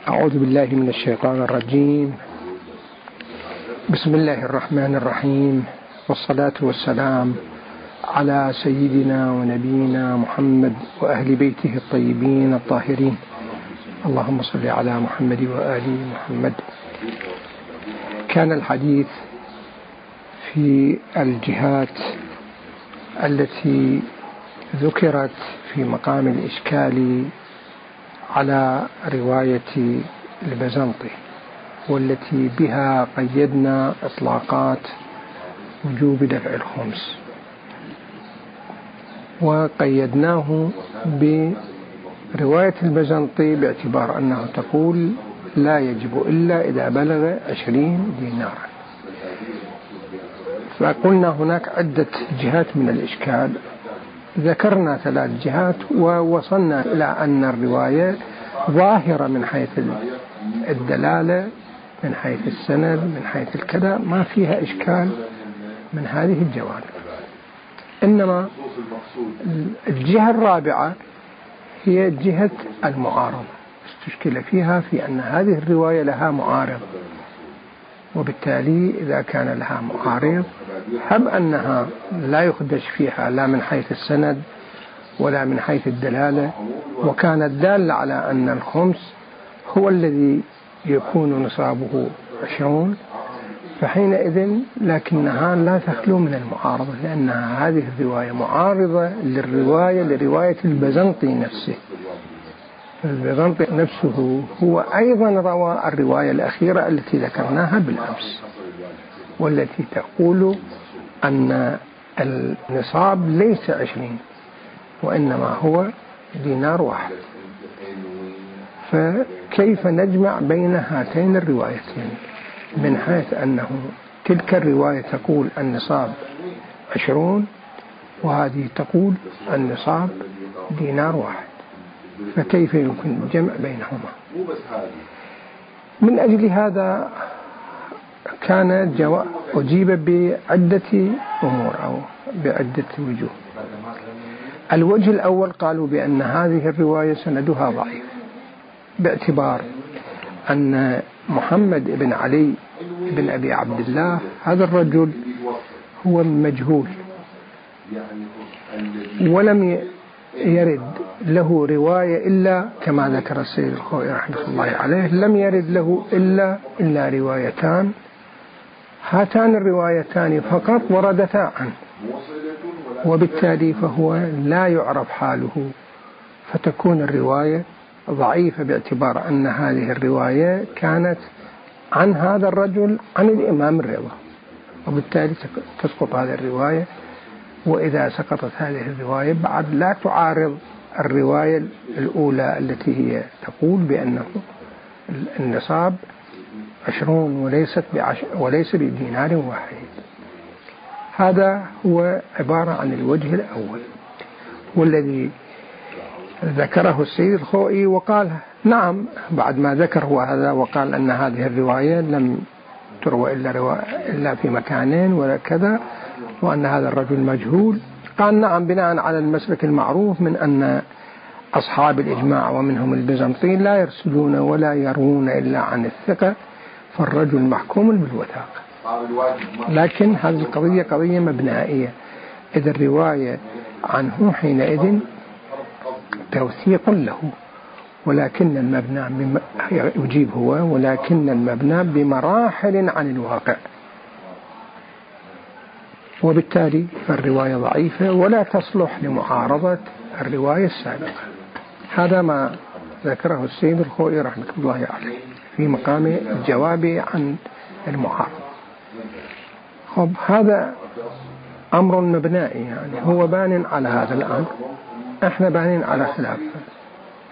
أعوذ بالله من الشيطان الرجيم. بسم الله الرحمن الرحيم، والصلاة والسلام على سيدنا ونبينا محمد وأهل بيته الطيبين الطاهرين. اللهم صل على محمد وآل محمد. كان الحديث في الجهات التي ذكرت في مقام الإشكال على رواية البزنطي، والتي بها قيدنا إطلاقات وجوب دفع الخمس، وقيدناه برواية البزنطي باعتبار أنه تقول لا يجب إلا إذا بلغ 20 دينارا. فقلنا هناك عدة جهات من الإشكال، ذكرنا 3 جهات ووصلنا إلى أن الرواية ظاهرة من حيث الدلالة، من حيث السند، من حيث الكذا، ما فيها إشكال من هذه الجوانب. إنما الجهة الرابعة هي جهة المعارضة، استشكل فيها في أن هذه الرواية لها معارض، وبالتالي إذا كان لها معارض هب أنها لا يخدش فيها لا من حيث السند ولا من حيث الدلالة، وكانت دالة على أن الخمس هو الذي يكون نصابه 20، فحينئذ لكنها لا تخلو من المعارضة، لأنها هذه الرواية معارضة لرواية البزنطي نفسه. البزنطي نفسه هو أيضا روى الرواية الأخيرة التي ذكرناها بالأمس، والتي تقول أن النصاب ليس 20 وإنما هو دينار واحد. فكيف نجمع بين هاتين الروايتين من حيث أنه تلك الرواية تقول النصاب 20 وهذه تقول النصاب دينار واحد، فكيف يمكن الجمع بينهما؟ من أجل هذا كان أجيب بعدة أمور أو بعدة وجوه. الوجه الأول قالوا بأن هذه الرواية سندها ضعيف، باعتبار أن محمد بن علي بن أبي عبد الله هذا الرجل هو مجهول، ولم يرد له رواية إلا كما ذكر السيد الخوئي رحمه الله عليه، لم يرد له إلا روايتان، هاتان الروايتان فقط وردتا عنه، وبالتالي فهو لا يعرف حاله، فتكون الرواية ضعيفة باعتبار أن هذه الرواية كانت عن هذا الرجل عن الإمام الرضا، وبالتالي تسقط هذه الرواية. وإذا سقطت هذه الرواية بعد لا تعارض الرواية الأولى التي هي تقول بأنه النصاب 20 وليس بدينار واحد. هذا هو عبارة عن الوجه الأول، والذي ذكره السيد الخوئي، وقال نعم بعد ما ذكر هو هذا وقال أن هذه الرواية لم تروى إلا في مكانين ولا كذا، وأن هذا الرجل مجهول. قال نعم بناء على المسلك المعروف من أن أصحاب الإجماع ومنهم البيزنطيين لا يرسلون ولا يروون إلا عن الثقة، فالرجل محكوم بالوثاقة. لكن هذه القضية قضية مبنائية، إذا الرواية عنه حينئذ توثيق له، ولكن المبنى يجيب هو ولكن المبنى بمراحل عن الواقع، وبالتالي فالرواية ضعيفة ولا تصلح لمعارضة الرواية السابقة. هذا ما ذكره السيد الخوئي رحمه الله عليه في مقام الجواب عن المعارضة. هذا أمر مبنائي، يعني هو بان على هذا الأمر، احنا بانين على خلافه.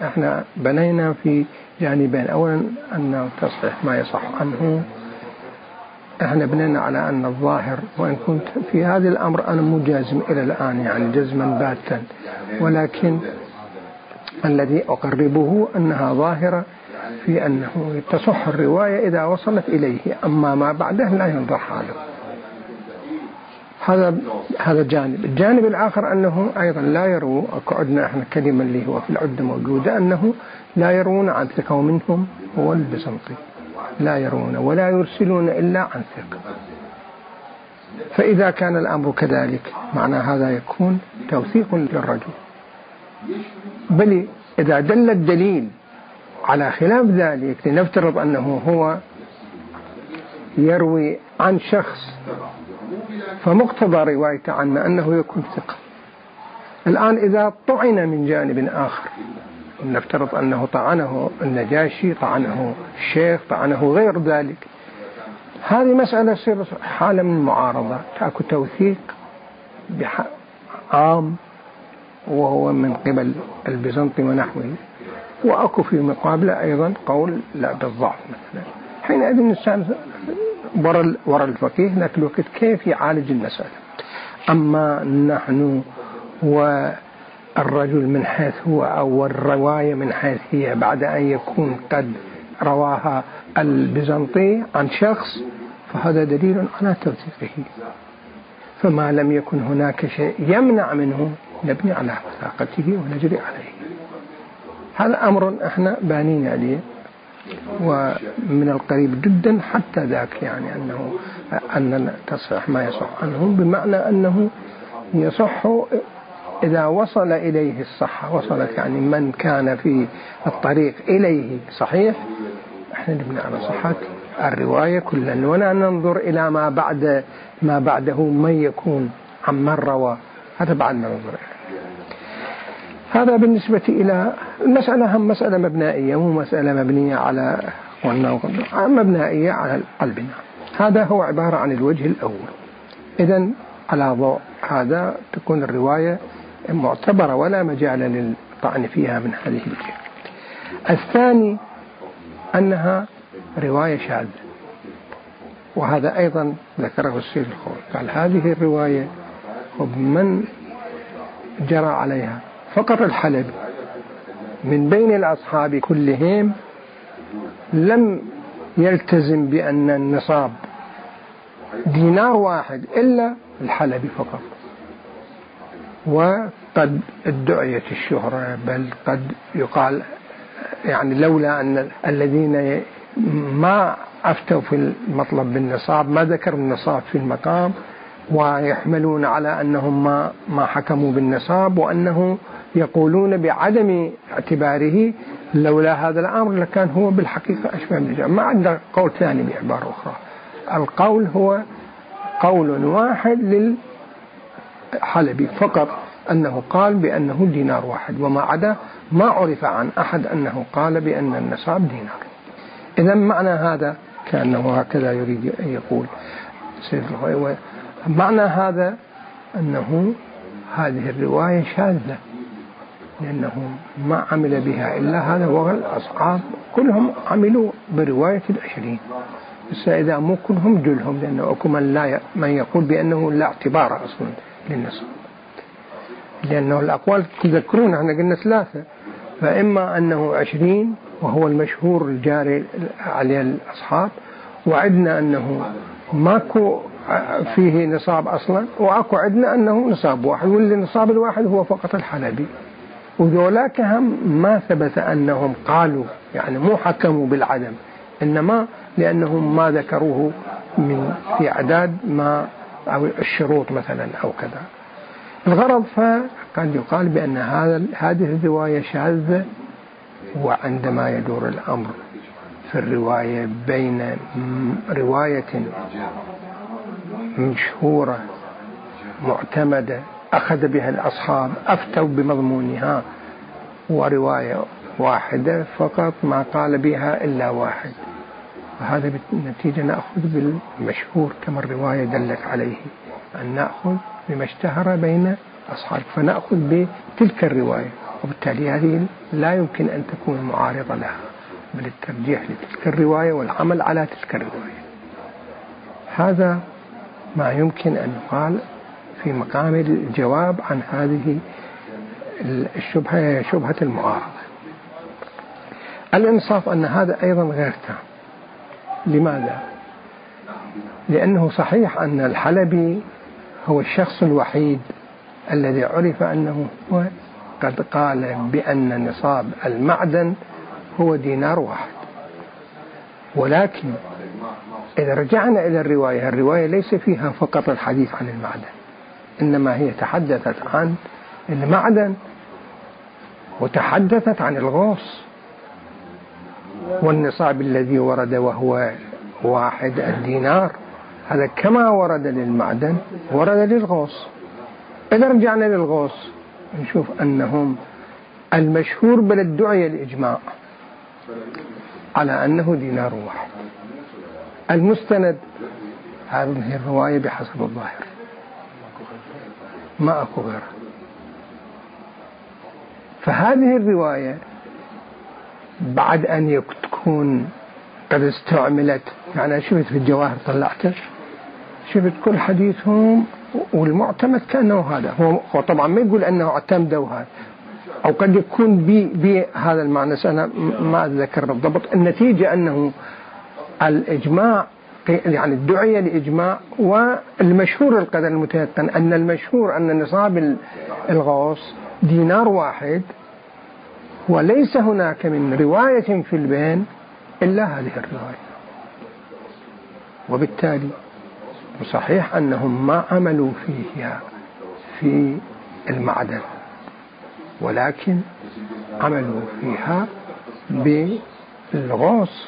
احنا بنينا في جانبين، اولا انه تصحيح ما يصح عنه، احنا بنينا على ان الظاهر، وان كنت في هذا الامر انا مجازم الى الان يعني جزما باتا، ولكن الذي اقربه انها ظاهرة في انه تصح الرواية اذا وصلت اليه، اما ما بعده لا ينظر حاله. هذا جانب. الجانب الآخر أنه أيضا لا يروى، قعدنا احنا كلمة اللي هو في العدة موجودة، أنه لا يروون عن ثقة، ومنهم هو البيزنطي لا يروون ولا يرسلون إلا عن ثقة. فإذا كان الأمر كذلك معنى هذا يكون توثيق للرجل. بل إذا دل الدليل على خلاف ذلك، لنفترض أنه هو يروي عن شخص فمقتضى روايته عنه أنه يكون ثقة. الآن إذا طعن من جانب آخر، نفترض أنه طعنه النجاشي، طعنه الشيخ، طعنه غير ذلك، هذه مسألة يصير حالة من المعارضة، تأكل توثيق عام وهو من قبل البيزنطي ونحوه، وأكو في مقابلة أيضا قول لا بالضعف مثلا. حينئذ الإنسان وراء الفقيه ذاك الوقت كيف يعالج المسألة. أما نحن والرجل من حيث هو أو الرواية من حيث هي بعد أن يكون قد رواها البيزنطي عن شخص، فهذا دليل على توثيقه. فما لم يكن هناك شيء يمنع منه نبني على وثاقته ونجري عليه. هذا أمر احنا بانين عليه ومن القريب جدا حتى ذاك، يعني أن تصح ما يصح عنهم، بمعنى أنه يصح إذا وصل إليه الصحة، وصلت يعني من كان في الطريق إليه صحيح، احنا نبني على صحة الرواية كلا، ولا ننظر إلى ما بعده من يكون عمن روى، هذا بعد ما ننظر إليه. هذا بالنسبة إلى المسألة، هم مسألة مبنائية، مو مسألة مبنية على مبنائية على البناء. هذا هو عبارة عن الوجه الأول. إذن على ضوء هذا تكون الرواية معتبرة ولا مجال للطعن فيها من هذه الجهة. الثاني أنها رواية شاذة، وهذا أيضا ذكره السيد الخوئي، قال هذه الرواية من جرى عليها فقط الحلبي من بين الأصحاب كلهم لم يلتزم بأن النصاب دينار واحد إلا الحلبي فقط، وقد ادعيت الشهرة، بل قد يقال يعني لولا أن الذين ما أفتوا في المطلب بالنصاب ما ذكروا النصاب في المقام، ويحملون على أنهم ما حكموا بالنصاب، وأنه يقولون بعدم اعتباره، لولا هذا الأمر لكان هو بالحقيقة أشبه بالجمع. ما عندنا قول ثاني بعبارة أخرى، القول هو قول واحد للحلبي فقط، أنه قال بأنه دينار واحد، وما عدا ما عرف عن أحد أنه قال بأن النصاب دينار. إذا معنى هذا كأنه هكذا يريد أن يقول سيد الخوئي، معنى هذا أنه هذه الرواية شاذة، لأنه ما عمل بها إلا هذا، والأصحاب كلهم عملوا برواية 20. بس إذا مو كلهم جلهم، لأنه أكو من يقول بأنه لا اعتبار أصلا للنصاب، لأنه الأقوال تذكرون احنا قلنا 3، فإما أنه 20 وهو المشهور الجاري عليه الأصحاب، وعدنا أنه ماكو فيه نصاب أصلا، وأكو عدنا أنه نصاب واحد، واللي نصاب الواحد هو فقط الحلبي. وذولاك هم ما ثبت أنهم قالوا، يعني مو حكموا بالعدم، إنما لأنهم ما ذكروه في أعداد ما أو الشروط مثلا أو كذا. الغرض فقد يقال بأن هذه الرواية شاذة. وعندما يدور الأمر في الرواية بين رواية مشهورة معتمدة أخذ بها الأصحاب أفتوا بمضمونها، ورواية واحدة فقط ما قال بها إلا واحد، وهذا بالنتيجة نأخذ بالمشهور كما الرواية دلت عليه، أن نأخذ بما اشتهر بين أصحاب، فنأخذ بتلك الرواية، وبالتالي هذه لا يمكن أن تكون معارضة لها، بل الترجيح لتلك الرواية والعمل على تلك الرواية. هذا ما يمكن أن يقال في مقام الجواب عن هذه الشبهة، شبهة المعارضة. الإنصاف أن هذا أيضا غير تام. لماذا؟ لأنه صحيح أن الحلبي هو الشخص الوحيد الذي عرف أنه هو قد قال بأن نصاب المعدن هو دينار واحد. ولكن إذا رجعنا إلى الرواية ليس فيها فقط الحديث عن المعدن، إنما هي تحدثت عن المعدن وتحدثت عن الغوص، والنصاب الذي ورد وهو 1 الدينار، هذا كما ورد للمعدن ورد للغوص. إذا رجعنا للغوص نشوف أنهم المشهور بل الدعية الإجماع على أنه دينار واحد. المستند هذه الرواية بحسب الظاهر، ما أكو غيرها. فهذه الرواية بعد أن تكون قد استعملت، يعني شفت في الجواهر طلعته، شفت كل حديثهم والمعتمد كأنه هذا هو طبعا ما يقول أنه اعتمدوا هذا، أو قد يكون بهذا المعنى، أنا ما أتذكر بالضبط. النتيجة أنه الإجماع يعني الدعية لإجماع، والمشهور القدر المتيقن أن المشهور أن نصاب الغوص دينار واحد، وليس هناك من رواية في البين إلا هذه الرواية. وبالتالي صحيح أنهم ما عملوا فيها في المعدن، ولكن عملوا فيها بالغوص،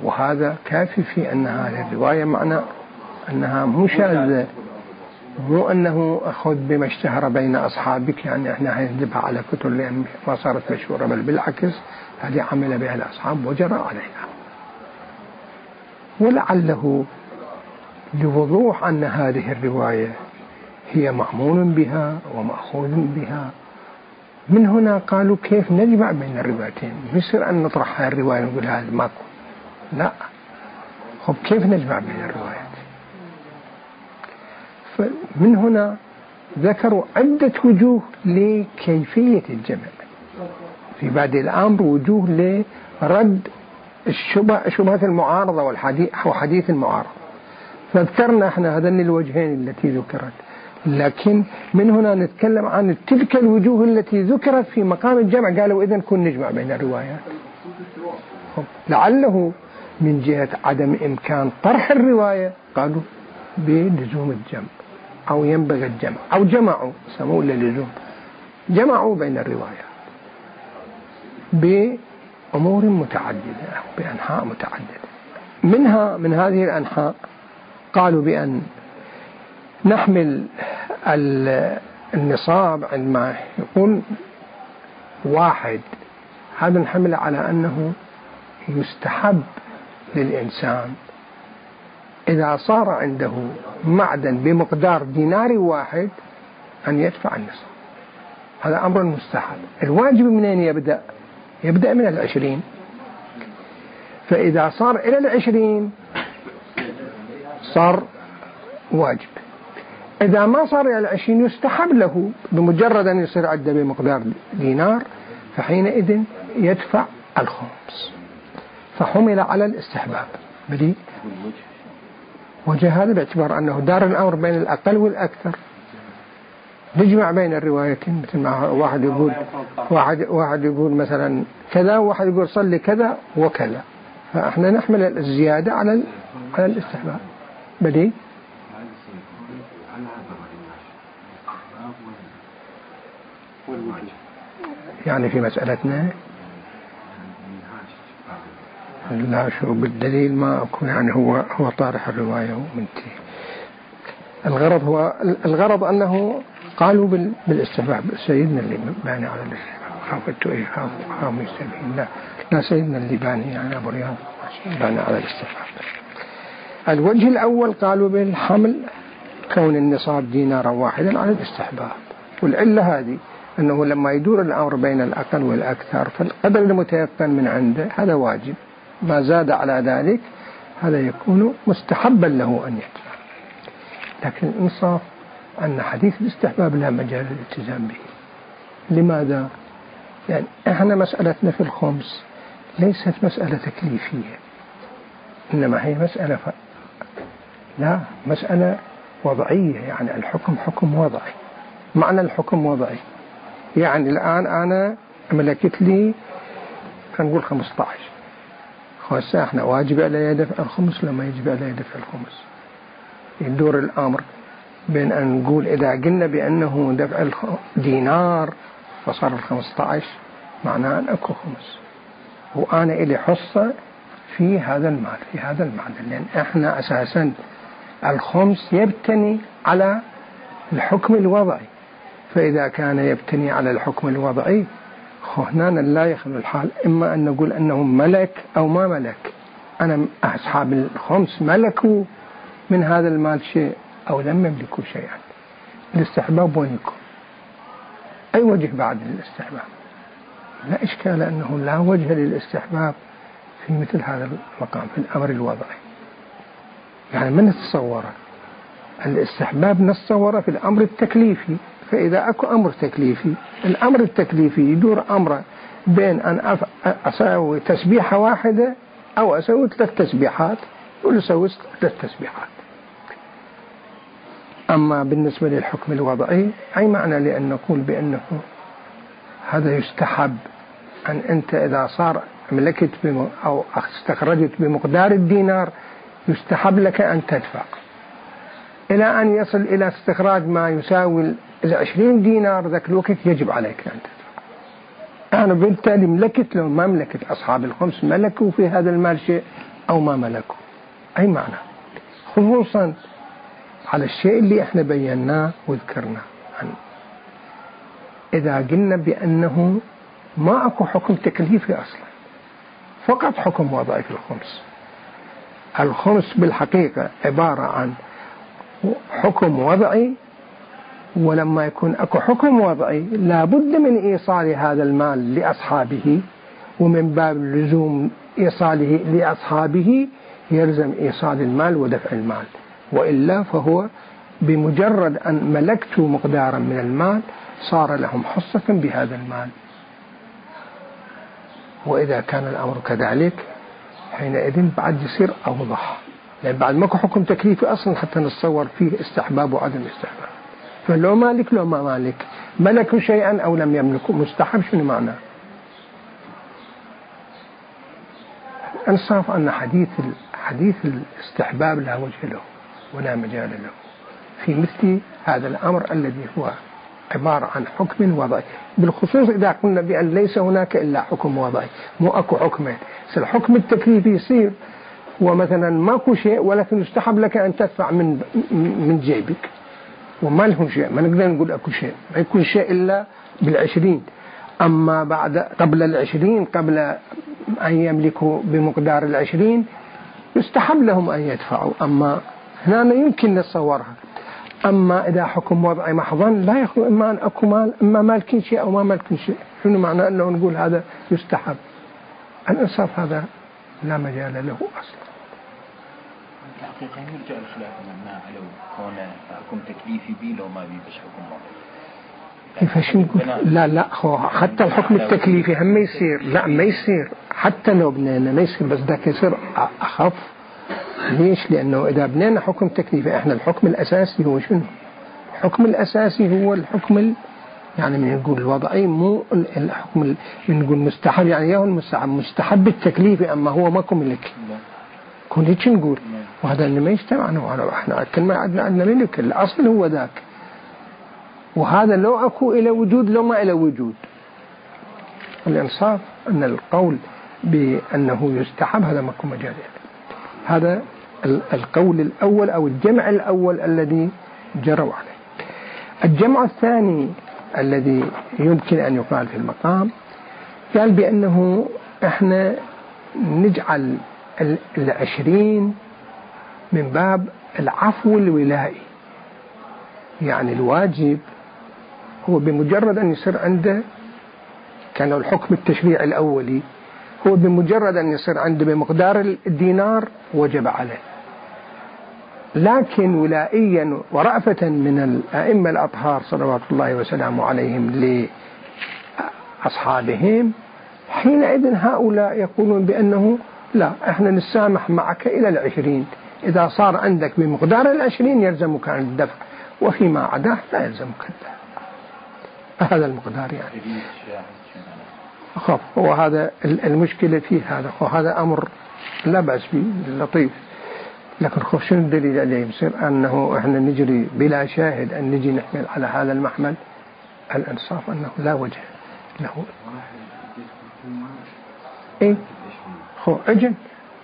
وهذا كافي في أن هذه الرواية معنى أنها مشاذة، مو أنه أخذ بما اشتهر بين أصحابك، يعني إحنا هنجيبها على كتب لأن ما صارت مشهورة، بل بالعكس هذه عمل بها الأصحاب وجرى عليها. ولعله لوضوح أن هذه الرواية هي معمول بها ومأخوذ بها، من هنا قالوا كيف نجمع بين الروايتين؟ يصير أن نطرح هذه الرواية ونقول هذا ماكو، لا، خب كيف نجمع بين الروايات؟ فمن هنا ذكروا عدة وجوه لكيفية الجمع. في بعد الأمر وجوه لرد شبهة المعارضة وحديث المعارضة، فذكرنا احنا هذين الوجهين التي ذكرت، لكن من هنا نتكلم عن تلك الوجوه التي ذكرت في مقام الجمع. قالوا إذن كن نجمع بين الروايات، لعله من جهة عدم إمكان طرح الرواية قالوا بلزوم الجمع أو ينبغي الجمع، أو جمعوا سموه للزوم، جمعوا بين الروايات بأمور متعددة أو بأنحاء متعددة. من هذه الأنحاء قالوا بأن نحمل النصاب عندما يقول 1، هذا نحمل على أنه يستحب للإنسان إذا صار عنده معدن بمقدار دينار واحد أن يدفع النصاب، هذا أمر مستحب. الواجب منين يبدأ؟ يبدأ من 20، فإذا صار إلى 20 صار واجب. إذا ما صار إلى 20 يستحب له، بمجرد أن يصير عنده بمقدار دينار فحينئذ يدفع الخمس، فحمل على الاستحباب. بدي وجه هذا باعتبار أنه دار الأمر بين الأقل والأكثر، نجمع بين الروايتين، مثل ما واحد يقول مثلا كذا، وواحد يقول صلي كذا وكذا، فإحنا نحمل الزيادة على الاستحباب. بدي يعني في مسألتنا لا، شو بالدليل ما أكون، يعني هو طارح الرواية ومنتهي. الغرض أنه قالوا بالاستحباب. سيدنا اللي باني على الاستحباب، خافت خاف يستبين، لا سيدنا اللي باني يعني أبو رياض باني على الاستحباب. الوجه الأول قالوا بالحمل كون النصاب دينارا واحدا على الاستحباب، والعلة هذه أنه لما يدور الأمر بين الأقل والأكثر فالقدر المتيقن من عنده هذا واجب، ما زاد على ذلك هذا يكون مستحبا له أن يدفع. لكن الإنصاف أن حديث الاستحباب لا مجال للالتزام به. لماذا؟ يعني احنا مسألتنا في الخمس ليست مسألة تكليفية، إنما هي مسألة وضعية، يعني الحكم حكم وضعي. معنى الحكم وضعي يعني الآن أنا ملكت لي نقول 15، هسه احنا واجب علي دفع الخمس لما يجب علي دفع الخمس. يدور الأمر بين أن نقول إذا قلنا بأنه دفع دينار فصار 15 معناه أن أكو خمس، وأنا إلي حصة في هذا المال، في هذا المعدن، لأن احنا أساسا الخمس يبتني على الحكم الوضعي، فإذا كان يبتني على الحكم الوضعي هنا لا يخلو الحال إما أن نقول أنه ملك أو ما ملك. أنا أصحاب الخمس ملكوا من هذا المال شيء أو لم يملكوا شيئا. الاستحباب وين يكون؟ أي وجه بعد الاستحباب؟ لا إشكال أنه لا وجه للاستحباب في مثل هذا المقام في الأمر الوضعي. يعني من نتصوره الاستحباب نتصوره في الأمر التكليفي، فإذا أكو أمر تكليفي، الأمر التكليفي يدور أمره بين أن أسوي تسبيحة واحدة أو أسوي 3 تسبيحات، يقول أسوي 3 تسبيحات. أما بالنسبة للحكم الوضعي أي معنى لأن نقول بأنه هذا يستحب أن أنت إذا صار ملكت أو استخرجت بمقدار الدينار يستحب لك أن تدفع إلى أن يصل إلى استخراج ما يساوي 20 دينار، ذاك الوقت يجب عليك أن تدفع. أنا بالتالي ملكت لو ما ملكت، أصحاب الخمس ملكوا في هذا المال شيء أو ما ملكوا، أي معنى، خصوصا على الشيء اللي احنا بيناه وذكرناه عنه. إذا قلنا بأنه ما أكو حكم تكليفي أصلا، فقط حكم وضعي في الخمس. الخمس بالحقيقة عبارة عن حكم وضعي، ولما يكون أكو حكم وضعي لابد من إيصال هذا المال لأصحابه، ومن باب لزوم إيصاله لأصحابه يلزم إيصال المال ودفع المال، وإلا فهو بمجرد أن ملكت مقدارا من المال صار لهم حصة بهذا المال. وإذا كان الأمر كذلك حينئذ بعد يصير أوضح، لأن بعد ماكو حكم تكليفي أصلا حتى نتصور فيه استحباب وعدم استحباب. فلو مالك لو ما مالك، ملكوا شيئا أو لم يملكوا، مستحب شنو معناه؟ أنصاف أن حديث الاستحباب لا وجه له ولا مجال له في مثل هذا الأمر الذي هو عبارة عن حكم وضعي، بالخصوص إذا قلنا بأن ليس هناك إلا حكم وضعي، مو أكو حكمين. الحكم التكليفي يصير ومثلا ماكو شيء ولكن يستحب لك أن تدفع من جيبك وما لهم شيء، ما نقدر نقول أكو شيء، ما يكون شيء إلا بال20. أما بعد قبل ال20 قبل أن يملكوا بمقدار ال20 يستحب لهم أن يدفعوا. أما هنا يمكن نتصورها. أما إذا حكم وضعي محضا لا يخلو إما أن أكو مال إما مالكين شيء أو ما مالكين شيء، شنو معنى أنه نقول هذا يستحب؟ الإنصاف هذا لا مجال له أصلا. الحقيقة يرجع الخلاف مع لو كون حكم تكليفي بي لو ما بي بس حكم وضعي. كيف نقول؟ لا حتى الحكم التكليفي هم ما يصير، لا ما يصير حتى لو بنينا ما يصير، بس ذاك يصير أخف. ليش؟ لأنه إذا بنينا حكم تكليفي احنا الحكم الأساسي هو شنو؟ الحكم الأساسي هو الحكم يعني من نقول الوضعي، مو الحكم من نقول مستحب، يعني يهو مستحب التكليفي، أما هو ماكو ملك. كون هيك نقول، وهذا اللي ما يجتمع. احنا كل ما عندنا ملك، الأصل هو ذاك، وهذا لو أكو إلى وجود لو ما إلى وجود. الإنصاف أن القول بأنه يستحب هذا ماكو مجال. هذا القول الأول أو الجمع الأول الذي جروا عليه. الجمع الثاني الذي يمكن أن يقال في المقام قال بأنه احنا نجعل 20 من باب العفو الولائي، يعني الواجب هو بمجرد أن يصير عنده كان الحكم التشريعي الأولي هو بمجرد أن يصير عنده بمقدار الدينار وجب عليه، لكن ولائيا ورأفة من الأئمة الأطهار صلوات الله وسلامه عليهم لأصحابهم حينئذ هؤلاء يقولون بأنه لا، احنا نسامح معك إلى 20، إذا صار عندك بمقدار 20 يلزمك عن الدفع، وفيما عداه لا يلزمك الدفع. هذا المقدار يعني. خب هو هذا المشكلة فيه هذا، وهذا أمر لا بأس به لطيف، لكن خب شنو الدليل عليه؟ يصير أنه إحنا نجري بلا شاهد أن نجي نحمل على هذا المحمل. الإنصاف أنه لا وجه له. إيه خو أجل،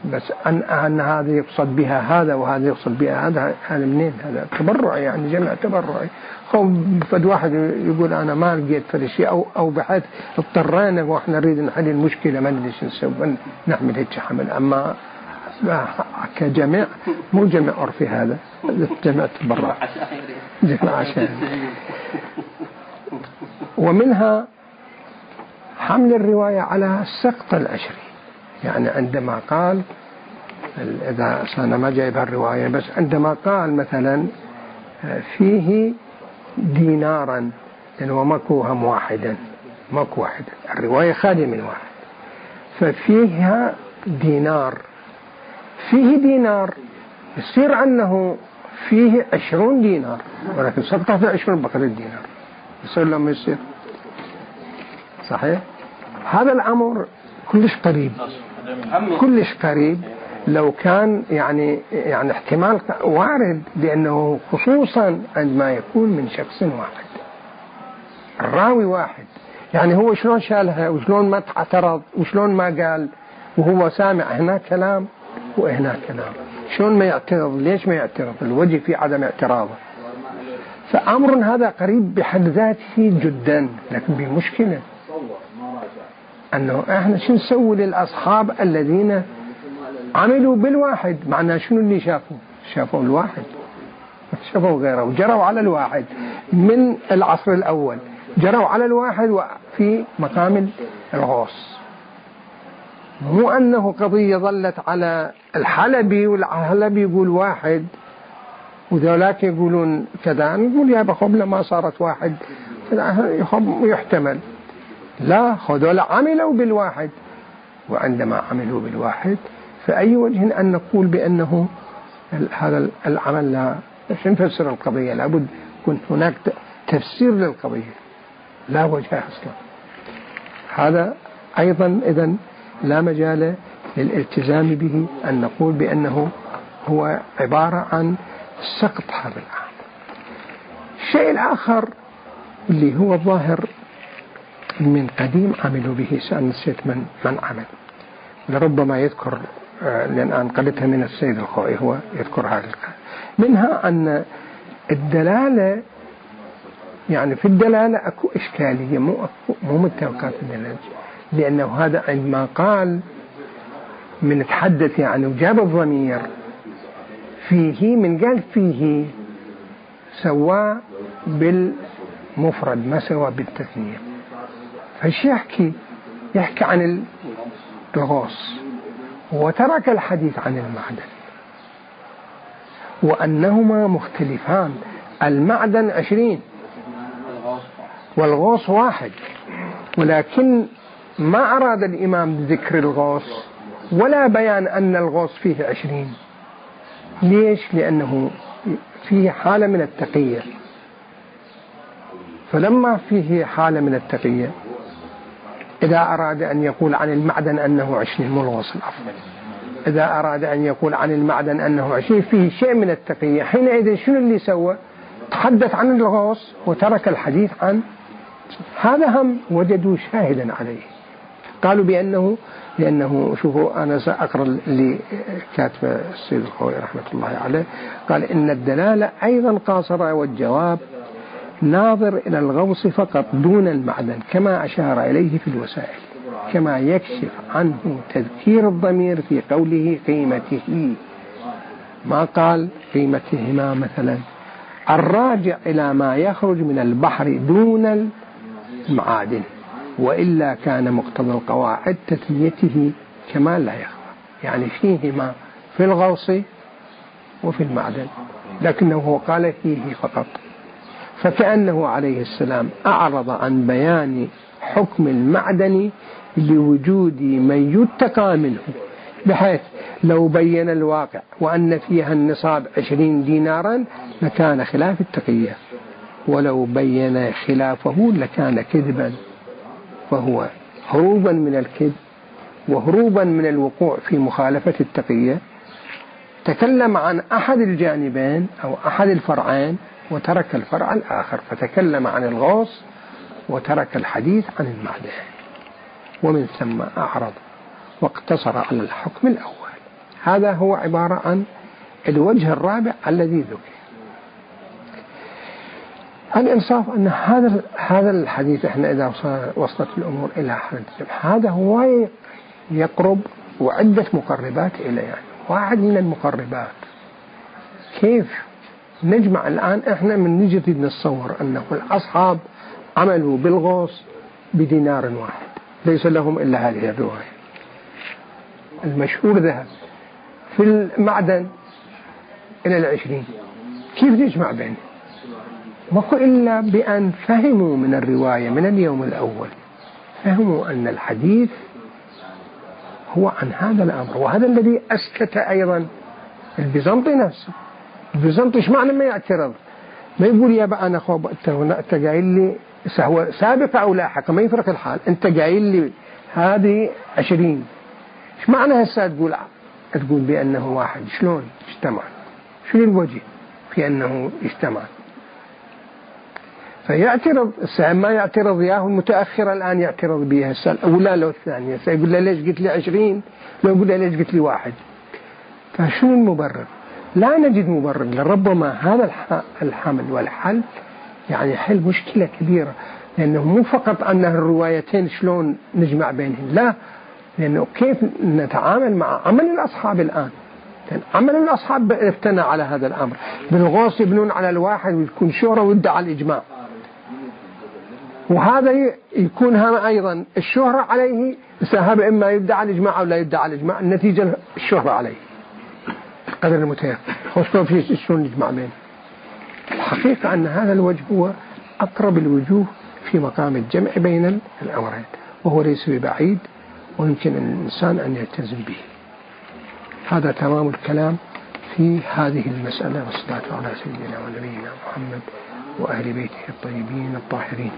بس أن هذا يقصد بها هذا وهذا يقصد بها هذا منين؟ هذا تبرعي، يعني جمع تبرعي. خو فد واحد يقول أنا ما لقيت فد شيء أو بحيث اضطرينا وإحنا نريد نحل المشكلة ما ندري شو نسوي نعمل هيك حمل. أما كجمع مو جمع عرفي، هذا جمع تبرع، جمع عشان. ومنها حمل الرواية على السقط العشري، يعني عندما قال، إذا أنا ما جايب الرواية، بس عندما قال مثلا فيه دينارا، يعني وماكو هم واحدا، ماكو واحد، الرواية خالية من واحد، ففيها دينار، فيه دينار، يصير أنه فيه 20 دينار، ولكن سقطه في 20 بقية الدينار، يصير لما يصير صحيح. هذا الأمر كلش قريب، كلش قريب. لو كان يعني احتمال وارد، لأنه خصوصا عندما يكون من شخص واحد، الراوي واحد، يعني هو شلون شالها وشلون ما اعترض وشلون ما قال، وهو سامع هنا كلام وهنا كلام، شلون ما يعترض؟ ليش ما يعترض؟ الوجه في عدم اعتراضه. فأمر هذا قريب بحد ذاته جدا، لكن بمشكلة أنه احنا شو نسوي للأصحاب الذين عملوا بالواحد؟ معناه شنو اللي شافوا الواحد، شافوا غيره وجروا على الواحد من العصر الأول، جروا على الواحد وفي مقام الغوص. مو أنه قضية ظلت على الحلبي والحلبي يقول واحد وذولاك يقولون كذا، نقول يا بخب لما صارت واحد يحتمل. لا، هذول عملوا بالواحد، وعندما عملوا بالواحد فأي وجه أن نقول بأنه هذا العمل لا نفسر القضية؟ لابد يكون هناك تفسير للقضية، لا وجه أصلا. هذا أيضا إذن لا مجال للالتزام به، أن نقول بأنه هو عبارة عن سقط هذا العمل. الشيء الآخر اللي هو الظاهر من قديم عملوا به، نسيت من عمل، لربما يذكر، لأن أنقلتها من السيد الخوئي، هو يذكر هذا القول. منها أن الدلالة، يعني في الدلالة أكو إشكالية، مو متوقعات الدلالة، لأنه هذا عندما قال من تحدث يعني وجاب الضمير فيه، من قال فيه سواه بالمفرد ما سواه بالتثنية. فايش يحكي عن الغوص، وترك الحديث عن المعدن، وأنهما مختلفان. المعدن 20 والغوص 1، ولكن ما أراد الإمام ذكر الغوص ولا بيان أن الغوص فيه 20. ليش؟ لأنه فيه حالة من التقية، فلما فيه حالة من التقية إذا أراد أن يقول عن المعدن أنه 20 مو الغوص الأفضل، إذا أراد أن يقول عن المعدن أنه 20 فيه شيء من التقية، حينئذ شنو اللي سوى؟ تحدث عن الغوص وترك الحديث عن هذا. هم وجدوا شاهدا عليه، قالوا لأنه شوفوا، أنا سأقرأ اللي كاتب السيد الخوئي رحمة الله عليه، قال إن الدلالة أيضا قاصرة، والجواب ناظر إلى الغوص فقط دون المعدن، كما أشار إليه في الوسائل، كما يكشف عنه تذكير الضمير في قوله قيمته، ما قال قيمتهما مثلا. الراجع إلى ما يخرج من البحر دون المعادن، وإلا كان مقتضى القواعد تثنيته كما لا يخفى، يعني فيهما في الغوص وفي المعدن، لكنه قال فيه فقط، فكأنه عليه السلام أعرض عن بيان حكم المعدن لوجود من يتقى منه، بحيث لو بين الواقع وأن فيها النصاب 20 دينارا لكان خلاف التقية، ولو بين خلافه لكان كذبا، فهو هروبا من الكذب وهروبا من الوقوع في مخالفة التقية تكلم عن أحد الجانبين أو أحد الفرعين وترك الفرع الآخر، فتكلم عن الغوص وترك الحديث عن المعدن، ومن ثم أعرض واقتصر على الحكم الأول. هذا هو عبارة عن الوجه الرابع الذي ذكر. الإنصاف أن هذا الحديث إحنا إذا وصلت الأمور إلى حد هذا هو يقرب وعدة مقربات إليه. يعني واحد من المقربات كيف نجمع الآن إحنا من نجي نتصور أنه الأصحاب عملوا بالغوص بدينار واحد ليس لهم إلا هذه الرواية. المشهور ذهب في المعدن إلى 20. كيف نجمع بينه؟ ماكو إلا بأن فهموا من الرواية من اليوم الأول، فهموا أن الحديث هو عن هذا الأمر. وهذا الذي أسكت أيضا البيزنطي نفسه. البيزنطي إيش معنى ما يعترض؟ ما يقول يا بقى أنا خوب أنت قايل لي سهو سابقة أو لاحقة ما يفرق الحال، أنت قايل لي هذه 20 إيش معنى هسه تقول بأنه واحد؟ شلون اجتمع؟ شنو الوجه في أنه اجتمع؟ فيعترض. ما يعترض ياه المتأخر الآن يعترض بها السنة الأولى لو الثانية، سيقول له ليش قلت لي 20 لو يقول له ليش قلت لي 1. فشنو المبرر؟ لا نجد مبرر. لربما هذا الحمل والحل يعني حل مشكلة كبيرة، لأنه مو فقط أن الروايتين شلون نجمع بينهم، لا، لأنه كيف نتعامل مع عمل الأصحاب الآن. عمل الأصحاب ابتنى على هذا الأمر، بالغوص يبنون على الواحد ويكون شهرة ويدعى الإجماع، وهذا يكون أيضا الشهرة عليه سهاب، إما يدعى الإجماع أو لا يدعى الإجماع، النتيجة الشهرة عليه قدر المتيقن. خصوصا في شلون نجمع بينه. الحقيقة أن هذا الوجه هو أقرب الوجوه في مقام الجمع بين الأمرين، وهو ليس ببعيد ويمكن الإنسان أن يلتزم به. هذا تمام الكلام في هذه المسألة، والصلاة على سيدنا ونبينا محمد وأهل بيته الطيبين الطاهرين.